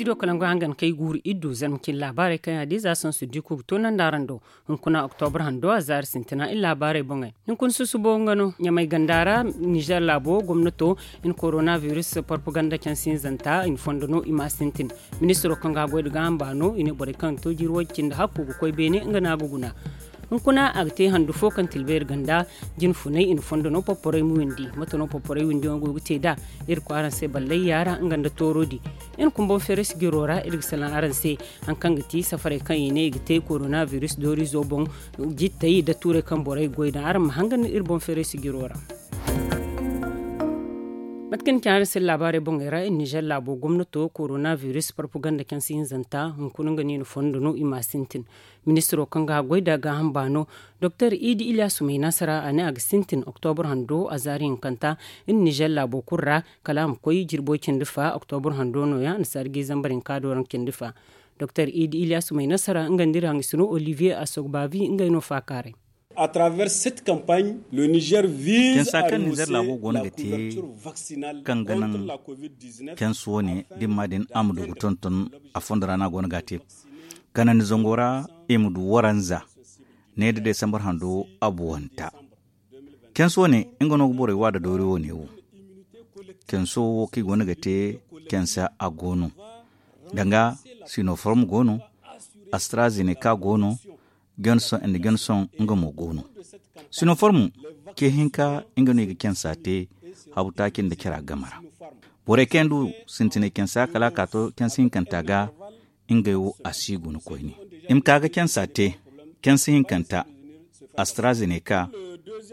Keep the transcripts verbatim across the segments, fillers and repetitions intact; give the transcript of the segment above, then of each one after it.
Ido kalangu hangan kay guuru iddu zarma cin laabaarey kaŋ yaŋ a di za sansu diku ga toonandi araŋ do. Hunkuna oktobra hando a zaari sintina iri laabaarey boŋey. Hunkuna susubo nga no ɲamay ganda ra nizer laabo gomnato i na korona virus propaganda cansi hinzanta i na fondo no i ma a sintin. Ministiro kaŋ ga a goy nda gaaham baano i ne borey kaŋ ga to jiiri woy cindi hakku ga koy beene nga no a ga guna. Hunkuna a ga te handu fo kaŋ tilbayri ganda jine funay i na fondo no porporey ma windi. Mate no porporey windiyaŋo go ga te nd'a? Iri kwaaraŋ se ballay yaara nga nda tooro di. Iri kumbaŋ feeray sijiro ra iri ga salaŋ araŋ se hari kaŋ ga ti safarey kaŋ i ne i ga te korona virus dooriizo boŋ. Jittey nda tuurey kaŋ borey ga goy daŋ araŋ ma hangan iri boŋ feeray sijiro ra. Mate kaŋ ni ci araŋ se laabaarey boŋey ra iri nizer laabo gomnato korona virus propaganda kaŋ si hinzanta hunkuna nga no i na fondo no i ma a sintin. Ministiro kaŋ ga a goy nda gaaham baano doktor idi ilyasu may nasara a ne a ga sintin oktobra hando a zaari hinkanta. Iri nizer laabo kulu ra kala a ma koy jirbo cindi fa oktobra hando nooya annasaari ga zambar hinka do raŋ cindi fa. Doktor idi ilyasu may nasara nga nda iri hangasino olivier asogbavi ngey no faakaaray. Cansa kaŋ nizer laabo go no ga te kaŋ ga naŋ cansa wane dimma din a ma du ga tonton a fondo ra no a go no ga a te. Kanandi zango ra i ma du waranza ne da desambar hando abuwanta. Cansa wane nga no ga borey wa da doori wane wo. Cansa wo kaŋ i go no ga te cansa a go no danga sinoform go no, astrazeneca go no, johnson and johnson nga mo go no. Sinoform ce hinka nga no i ga cansa te habu taaci nda cara game ra. Borey kaŋ yaŋ du sintinay cansa kala a ka to cansa hinkanta ga ngey wo a si guna koyne. I ma ka ga cansa te cansa hinkanta astrazeneca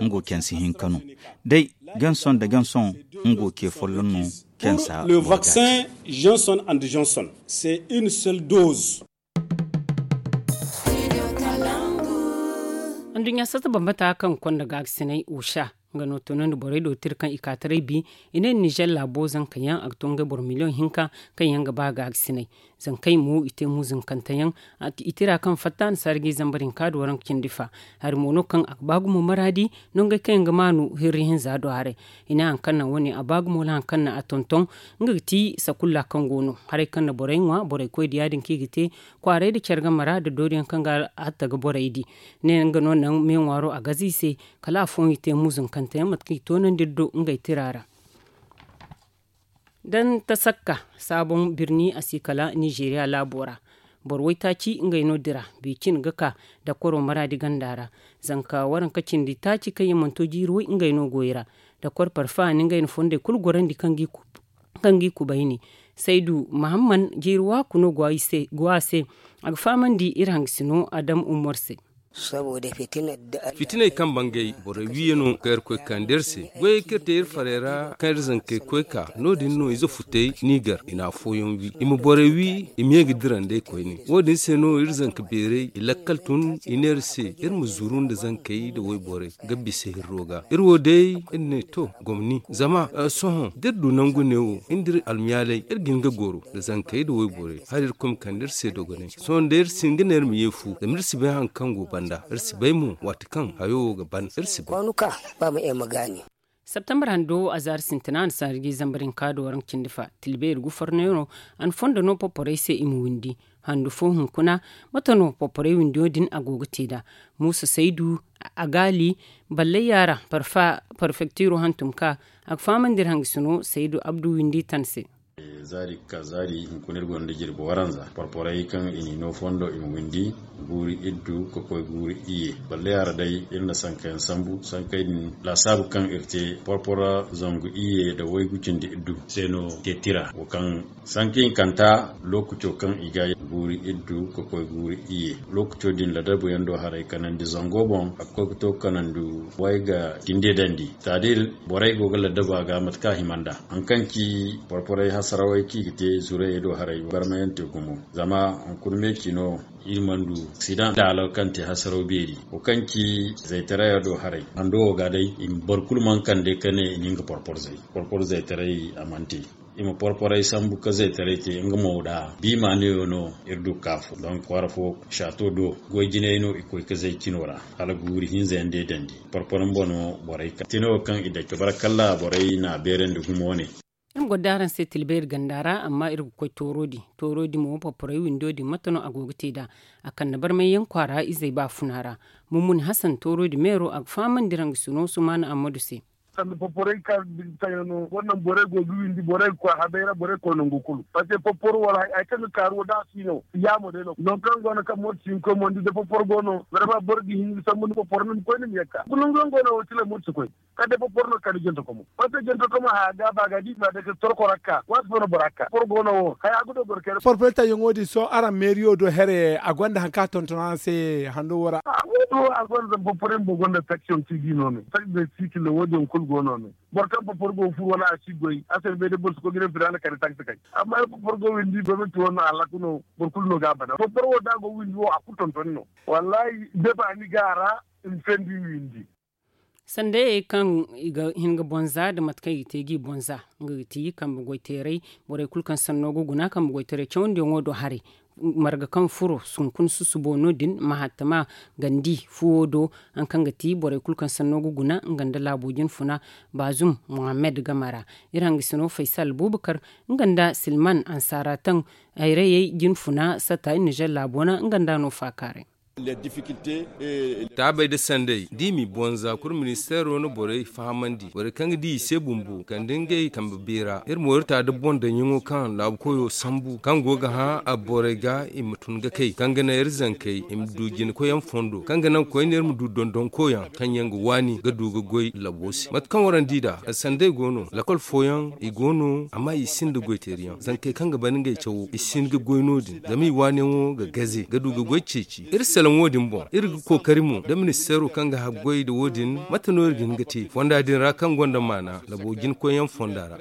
nga wo cansa hinka no. Day johnson nda johnson nga wo ce folloŋ no cansa. Le vaccin johnson and johnson c'est une seule dose. Anduɲɲa sata bambata kaŋ ga konda gaagasinay osha nga no toonandi borey do tira kaŋ i ka taray bi. I ne nizer laabo zanka yaŋ a ga to ngey boro miliyoŋ hinka kaŋ yaŋ ga ba gaagasinay. Zankey mo i te muzinkante yaŋ. I tira kaŋ fatta annasaari ga i zambar hinka da waranka cindi fa. Hari mo no kaŋ a ga ba gumo maraadi nongey kaŋ yaŋ ga maanu hirri hinza do haray. I ne hari kaŋ naŋ wane a ba gumo wala hari kaŋ naŋ a tonton nga ga ti sakulla kaŋ go no haray kaŋ na borey ŋwa borey koy da ya- din kaŋ i ga te kwaaray nda care game ra nda doori yaŋ kaŋ ga a hatta ga borey di. Ne nga no naŋ me ŋwaaro a gaza i se kala afooyaŋ i te muzinkante yaŋ mate kaŋ i toonandi iri do ngey tira ra. Da ni tasakka saaboŋ birni a si kala nizeeriya laabo ra. Boro waytaaci ngey no dira beecin ga ka dakkoro maraadi ganda ra. Zanka waranka cindi taaci kaŋ yaŋ mana to jiiri way ngey no goy ra. Dakkor parfa ni ngey na fondey kulu gorandi kaŋ g'i kubayni. Saydu mahamman jiiri waaku no go a se. A ga fahamandi iri hangasino adam ummor se. Fitiney kaŋ bangay borey wiiyaŋo kaŋ iri koy ga kande iri se goyey kaŋ iri te iri farey ra kaŋ iri zankey koy ka no- din no ize futey n'i gar i na afooyaŋ wi i ma borey wi i ma ye ga dira nd'ey koyne. Wo- din se no iri zanka beerey i lakkal tun i ne iri se iri ma zuru nda zankey nda wayborey ga bisa hirro ga iri wo day iri ne to gomni zama sohõ da iri du nangu neewo iri nda iri almiyaaley iri ga hin ga goro nda zankey nda wayborey hala iri koy ma kande iri se dogonay. Sohõ day iri si hin ga ne iri ma ye fu zama iri si bay hari kaŋ go banda iri si bay mo waati kaŋ hayo wo ga ban iri si bay. Septembar hando a zaari sintina a na saari ga i zambar hinka do waranka cindi fa tilbeeri gufarnayano a na fondo no porporey se i ma windi. Handu fo hunkuna mate no porporey windiyo din a go ga te nd'a? Muusa saydu, agaali, ballay yaara, parfektiro hantum ka a ga fahamandi iri hangasino saydu abdu windi tan se. Zaari ga ka zaari hunkuna iri gonda jirbi waranza porporey kaŋ i n'i no fondo i ma windi guuri iddu ga koy guuri iyye. Ballay yaara day iri na sankayaŋ sambu sankey din laasaabu kaŋ iri te porpora zangu iyye nda waygu cindi iddu se no te tira wo kaŋ sanka hinkanta lookaco kaŋ i ga guuri iddu ga koy guuri iyye. Lookaco din ladabuyaŋ do haray kanandi zango boŋ a ga koy ga to kanandi way ga cinde dandi. Taadir borey go ga ladabu a ga mate kaŋ a hima nd'a hari kaŋ ci porporey hasarawey kaŋ i ga te zurayey do haray barmayaŋ te gumo zama hunkuna me ci no iri mana du aksidaŋ laalo kaŋ te hasaraw beeri wo kaŋ ci zaytaraya do haray hando wo ga day i ma boro kulu mana kande ka ne i na nga porpor zay porpor zaytaray a mana te. I ma porporey sambu ka zaytaray te nga mo da biima neewo no iri du ga ka afo donk kwaara fo saato do goy jinay no i koy ga zay cino ra hala guuri hinza yaŋ day dandi porpor mba no borey ka cino kaŋ i dake bara kalla borey na a beerandi gumo wane. Iri ma goro da araŋ se tilbayri ganda ra, amma iri ga koy tooro din. Tooro din mo poporey windo din mate no a go ga te nd'a? A kande barmay yaŋ kwaara izey baafuna ra. Mumuni hasan tooro din meero a ga fahamandi iri hangasino sumaana ammadu se. Sanda poporey kaŋ taŋ yaŋ no, borey go ga windi, borey ga koy habey ra, borey ga koy nangu kulu. Paske poporo wala hari kaŋ ga kaaru wo da a si no yaamo day no nangu kaŋ go no kaŋ mooti si hin koy mo ni di da poporo go no, barma boro ga hin ga sambu ni poporo ni ma koy ni ma yagga kulu nangu yaŋ go no wo tila mooti si koy. Kala day poporo no kala jante komo. Paske jante komo haya ga ba ga di ba day kala torko rakka waati fo no bora ga ka poporo go no wo haya ga do boro kayna. Porpeta yaŋo din sohõ araŋ meeriyo do here a gonda hari kaŋ a tonton araŋ se hando wo ra. A gonda zama poporo yaŋ bumbo gonda taksiyoŋ ti di no me taksi day sikil wo din kulu go no me. Boro kaŋ poporo go ga furu wala a si goy a se ni bay day boro si koy ga ne filaana kala taksi kay. Amma iri poporo go windi gomnanti wo no a lakku no. Boro kulu no ga a bana poporo wo da a go windi wo a kulu tonton no. Wallahi da ba ni ga a ra. Ni fendi windi. Sandayey kaŋ i ga hin ga bonza nda mate kaŋ i ga te ga i bonza, nga ga ti kambe goyteeray. Borey kulu kaŋ sanno ga guna kambe goyteeray cawandiyaŋo do haray. Marga kaŋ furo sunkun susubo no- din mahattama gandi fuwo do. Hari kaŋ ga ti borey kulu kaŋ sanno ga guna nga nda laabo jinfuna baazum muhammed game ra. Iri hangasino faysal buubakar nga nda silman ansaara taŋ hayrayey jinfuna satta iri nizer laabo ra nga nda no faakaaray. Taabey nda sandey da i m'i bonza kulu ministeero na borey fahamandi borey kaŋ ga di i se bumbo kala nda ngey kambe beera iri mo iri ta nda boŋ daŋyaŋo kaŋ laabu koyo sambu kaŋ go ga hã a borey ga i ma tun ga kay kaŋ ga naŋ iri zankey i ma du jina koyyaŋ fondo kaŋ ga naŋ koyne iri ma du dondonkoyaŋ kaŋ yaŋ ga waani ga du ga goy labo se mate kaŋ waraŋ di nd'a sandey go no lakol fooyaŋ i go no amma i sinda goyteeriyaŋ zankey kaŋ ga ban ngey cawo i si hin ga goy no- din zama i waaniyaŋo ga gaze ga du ga goy ceeci iri salaŋ wo- din boŋ iri ga kookari mo nda ministeero kaŋ ga haggoy nda wo- din mate no iri ga hin ga te fonda din ra kaŋ gonda maana labo jinkoyyaŋ fonda ra.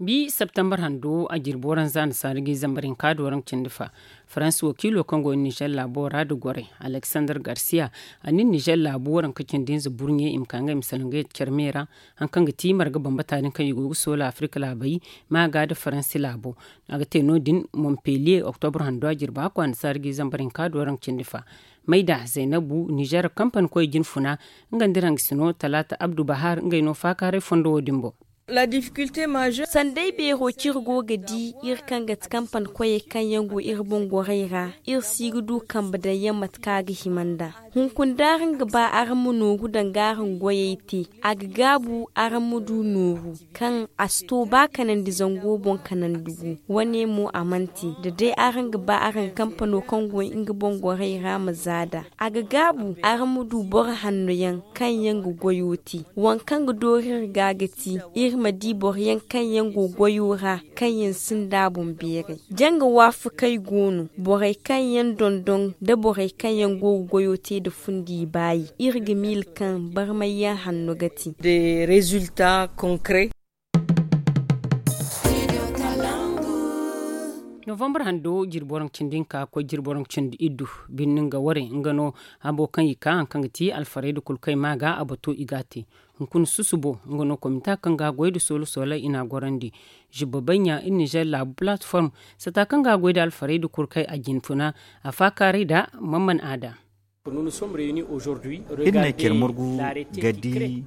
Bi septembar hando a jirbi waranza nda saara ga i zambar hinka da waranka cindi fa faransi wakiilo kaŋ go nizer laabo ra nda gorey alexander garcia a ne nizer laabo waranka cindi hinza burɲe i ma ka ngey ma salaŋ ga yadda care me ra. Hari kaŋ ga ti marga bambata din kaŋ i go ga soola afirka laabey maaga nda faransi laabo a ga te no- din montpellier oktobro hando a jirbi hakku annasaara ga i zambar hinka da waranka cindi fa. Mayda zaynabu nizer kampani koy jinfuna nga nda iri hangasino talaata abdu bahar ngey no faakaaray fondo wo- din boŋ. Sanday beero kaŋ iri go ga di iri kaŋ ga ti kampani koyey kaŋ yaŋ go iri boŋ gorey ra iri si ga du kambe daŋ yaŋ mate kaŋ a ga hima nd'a. Hunkuna da araŋ ga ba araŋ ma nooru danga araŋ goyey te a ga gaabu araŋ ma du nooru kaŋ a si to ba kanandi zango boŋ kanandi gu. Wane mo a mana te da day araŋ ga ba araŋ kampano kaŋ go nga boŋ gorey ra ma za nd'a a ga gaabu araŋ ma du boro hanno yaŋ kaŋ yaŋ ga goyo te. Waŋ kaŋ ga doori iri ga ga ti iri ma di boro yaŋ kaŋ yaŋ go goyo ra kaŋ yaŋ sinda boŋ beeray. Janga waafakey go no borey kaŋ yaŋ dondon nda borey kaŋ yaŋ go ga goyo te nda fundi baayi iri ga miila kaŋ barmay yaŋ hanno ga te. Novambar hando jirbi waranka cindi hinka ga koy jirbi waranka cindi iddu birni nga warey nga no habo kaŋ i ka hari kaŋ ga ti alfarayda kulu kaŋ i ma ga a bato i ga a te. Hunkuna susubo nga no komita kaŋ ga a goy nda soola soola i n'a gorandi. Zubba baɲɲa iri nizer laabu palatform sata kaŋ ga a goy nda alfarayda kulu kaŋ a jinfuna a faakaaray nda mamman aada. Iri na care margu ga di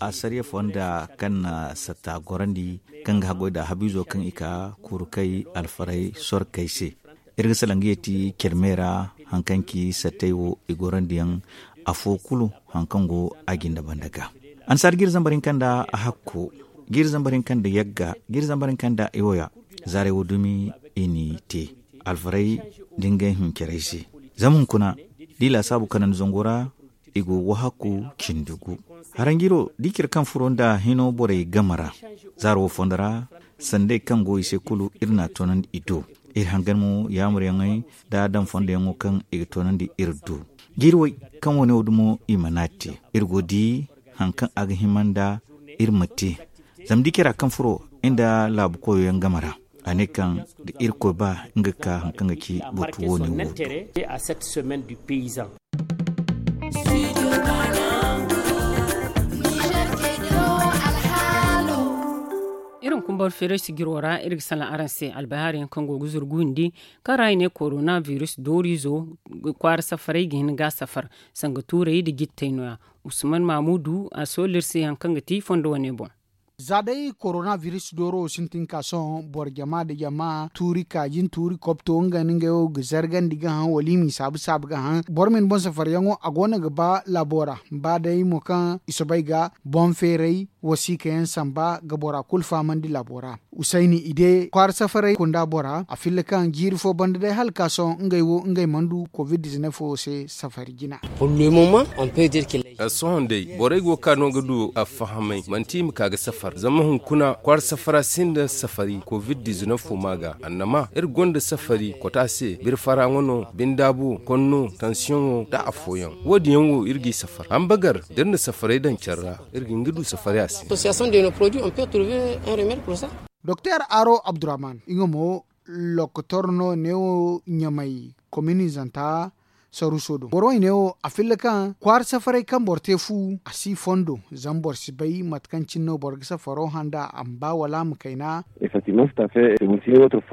asariya fonda kaŋ na sata gorandi kaŋ ga haggoy nda habiizo kaŋ i ka kuru kay alfaray sorkey se. Iri ga salaŋ ga yeeti care me ra hari kaŋ ci sattey wo i gorandiyaŋ afo kulu hari kaŋ go a jinda banda ga. Annasaara ga iri zambar hinka nda hakko ga iri zambar hinka nda yagga ga iri zambar hinka nda iwoya. Zaarey wo dumi i n'i te alfaray da ngey hincarey se. Zama hunkuna da i laasaabu kanandi zango ra i go ga wahakku cindi gu. Haranjiro da i care kaŋ furo nda hino borey game ra zaaro wo fondo ra sandey kaŋ go i se kulu iri n'a toonandi i do. Iri hangan mo yaamuryaŋey nda daŋ fondoyaŋo kaŋ i ga toonandi iri do. Jiiri way kaŋ wane wo dumo i mana te iri go ga di hari kaŋ a ga hima nda iri ma te. Zama da i care a kaŋ furo nda laabu koyo yaŋ game ra a ne kaŋ da irkoy ba nga ga ka hari kaŋ ga ci batu woone wo do. Iri ma kumbar feeray sijiro ra iri ga salaŋ araŋ se albahaari yaŋ kaŋ go ga zuru gundi kaŋ ra i ne korona biris dooriizo kwaara safaray ga hin ga a safar sanga tuuray nda jittey no- ya. Usman mamudu a soolu iri se hari kaŋ ga ti fondo wane boŋ. Za day korona biris dooro wo sintin ka sohõ boro jama nda jama tuuri kaajin tuuri kopto nga nda ngey wo ga zargandi ga haŋ wala i m'i saabu saabu ga haŋ boro ma ni boŋ safaryaŋo a go no ga ba laabo ra. Ba day mo kaŋ i soobay ga boŋ feeray wasiika yaŋ samba ga bora kulu fahamandi laabo ra. Usayni ide kwaara safaray kunda bora a filla kaŋ jiiri fo banda day hala ka sohõ ngey wo ngey mana du covid dizinef wo se safari jina. Sohõ day borey go ga ka no ga du a fahamay manti i ma ka ga safar zama hunkuna kwaara safara sinda safari covid dizinef wo ma ga annama iri gonda safari kota se birfara ŋwa no bindaabu konno tansiyoŋo nda afooyaŋ wo- din yaŋ wo iri g'i safar hambagar da iri na safaray daŋ care ra iri ga hin ga du safari a se. Doktor aro abdurrahman nga mo lokotor no neewo ɲamay kominizanta saruuso do boro wo i neewo a filla kaŋ kwaara safaray kaŋ boro te fu a si fondo zama boro si bay mate kaŋ cine no boro ga safaro handa a ma ba wala a ma kayna.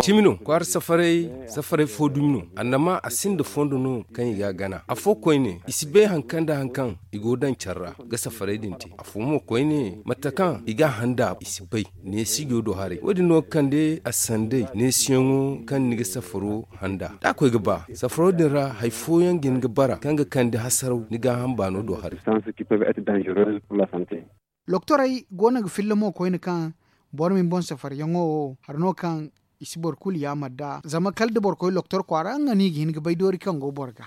Cimi no kwaara safaray safaray fo dumi no annama a sinda fondo no kaŋ i ga a gana afo koyne i si bay hari kaŋ nda hari kaŋ i go daŋ care ra ga safaray din te afo mo koyne mate kaŋ i ga a handa i si bay neesijo do haray wo- din no ga kande a sanday neesiyaŋo kaŋ ni ga safaro handa da a koy ga ba safaro din ra hari fooyaŋ ga hin ga bara kaŋ ga kande hasaraw ni gaaham baano do haray. Doktorey go no ga filla mo koyne kaŋ boro ma ni boŋ safaryaŋo wo hari no kaŋ i si boro kulu yaamar nd'a zama kala da boro koy doktor kwaara nga no i ga hin ga bay doori kaŋ go boro ga.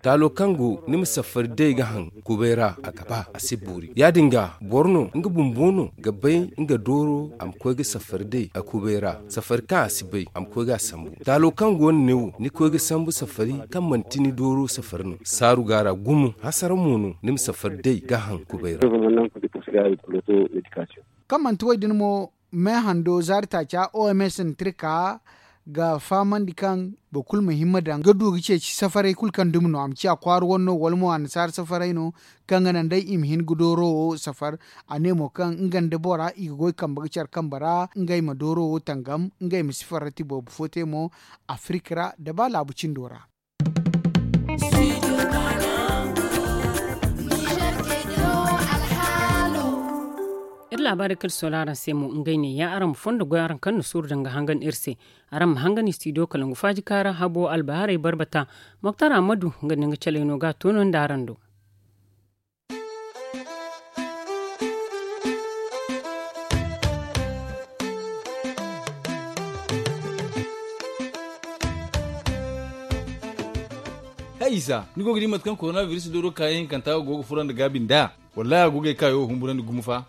Taalo kaŋ go ni ma safari day ga haŋ kubay ra a ga ba a si boori ya- din ga boro no nga bumbo no ga bay nga dooro a ma koy ga safari day a kubay ra safari kaŋ a si bay a ma koy ga a sambu taalo kaŋ go no ne wo ni koy ga sambu safari kaŋ manti ni dooro safari no saaru ga a ra gumo hasara mo no ni ma safari day ga haŋ kubay ra. Kaŋ manti wo- din mo me hando zaari taaca oms na tirka ga fahamandi kaŋ boro kulu ma himma daŋ ga du ga ceeci safaray kulu kaŋ dumi no a ma ciya kwaara wane no wala mo annasaara safaray no kaŋ ga naŋ day i ma hin ga dooro wo safar a ne mo kaŋ nga nda bora i ga goy kambe ga care kambe ra ngey ma dooro wo tangam ngey ma si farrati boobo fo te mo afirika ra nda ba laabu cindo ra. Iri laabaarey kaŋ iri soola araŋ se mo ngey ne ya araŋ ma fondo goy araŋ kaŋ na suuru daŋ ga hangan iri se. Araŋ ma hangan istidiyo kalangu faaji kaara habo albahaarey barbata moktar ammadu nga ne nga caley no ga a to no nda araŋ do. Hay isa ni go ga di mate kaŋ korona biris dooro kaayaŋ hinkanta go ga furo nda gaabi nd'a? Wallahi a go ga ay kaayo humburandi gumo fa.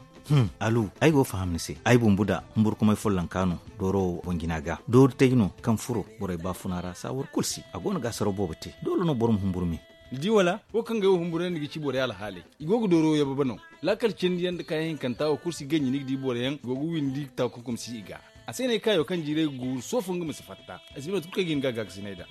Alu ay go ga faham ni se ay bumbu da humburkumay follonka no dooro wo boŋ jina ga dooru tay no kaŋ furo borey baafuna ra saawar kulu si a go no ga asaraw boobo te doole no boro ma humburu me. Ni di wala wo kaŋ ga ay wo humburandi ga ci borey alhaaley i go ga dooro yababe no. Laakal cindi yaŋ nda kaayaŋ hinkanta wo kulu si ganji ni ga di boro yaŋ go ga windi taakunkum si i ga. A se no ay kaayo kaŋ jiiray ga guuru soofo nga ma si fatta. Ay si bay mate kulu kaŋ ay ga hin ga a gaakasinay nd'a.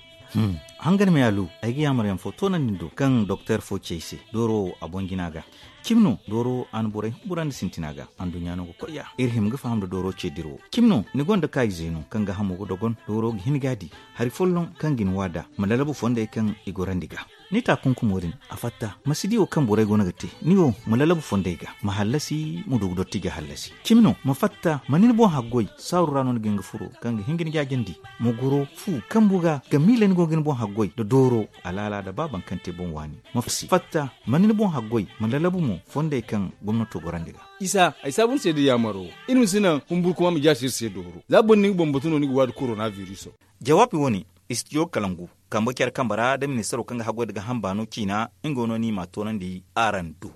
Hangan me alu ay ga yaamar yaŋ fo toonandi ni do kaŋ doktor fo ci ay se dooro wo a boŋ jina ga. Cimi no dooro wo a na borey humburandi sintina ga anduɲɲa no ga koy ya iri hima ga faham nda dooro ce dirawo. Cimi no ni gonda kaayize no kaŋ ga hamo ga dogon dooro ga hin ga a di hari folloŋ kaŋ ga ni waada ma lalabu fondey kaŋ i gorandi ga. Ni taakunkumo din a fatta ma si di wo kaŋ borey go no ga te ni wo ma lalabu fondey ga ma hallasi ma du ga dotti ga hallasi. Cimi no ma fatta ma ni ni boŋ haggoy saaru ra no ni ga hin ga furo kaŋ ga hin ga ni jaajandi ma goro fu kambu ga ga miila ni go ga ni boŋ haggoy nda dooro alaala nda ba baŋ kaŋ te boŋ waani. Ma fatta ma ni ni boŋ haggoy ma lalabu mo fondey kaŋ gomnato gorandi ga. Isa ay saabu ni se da yaamaro iri ma si naŋ humburkuma ma jaasi iri se dooro za boro ni ga boŋ batu no ni ga waadi korona biriso. Jawaabi wo-ne istidiyo kalangu kambe care kambe ra nda ministaro kaŋ ga haggoy nda ga hamba no ciina nga wo no ni m'a toonandi araŋ do.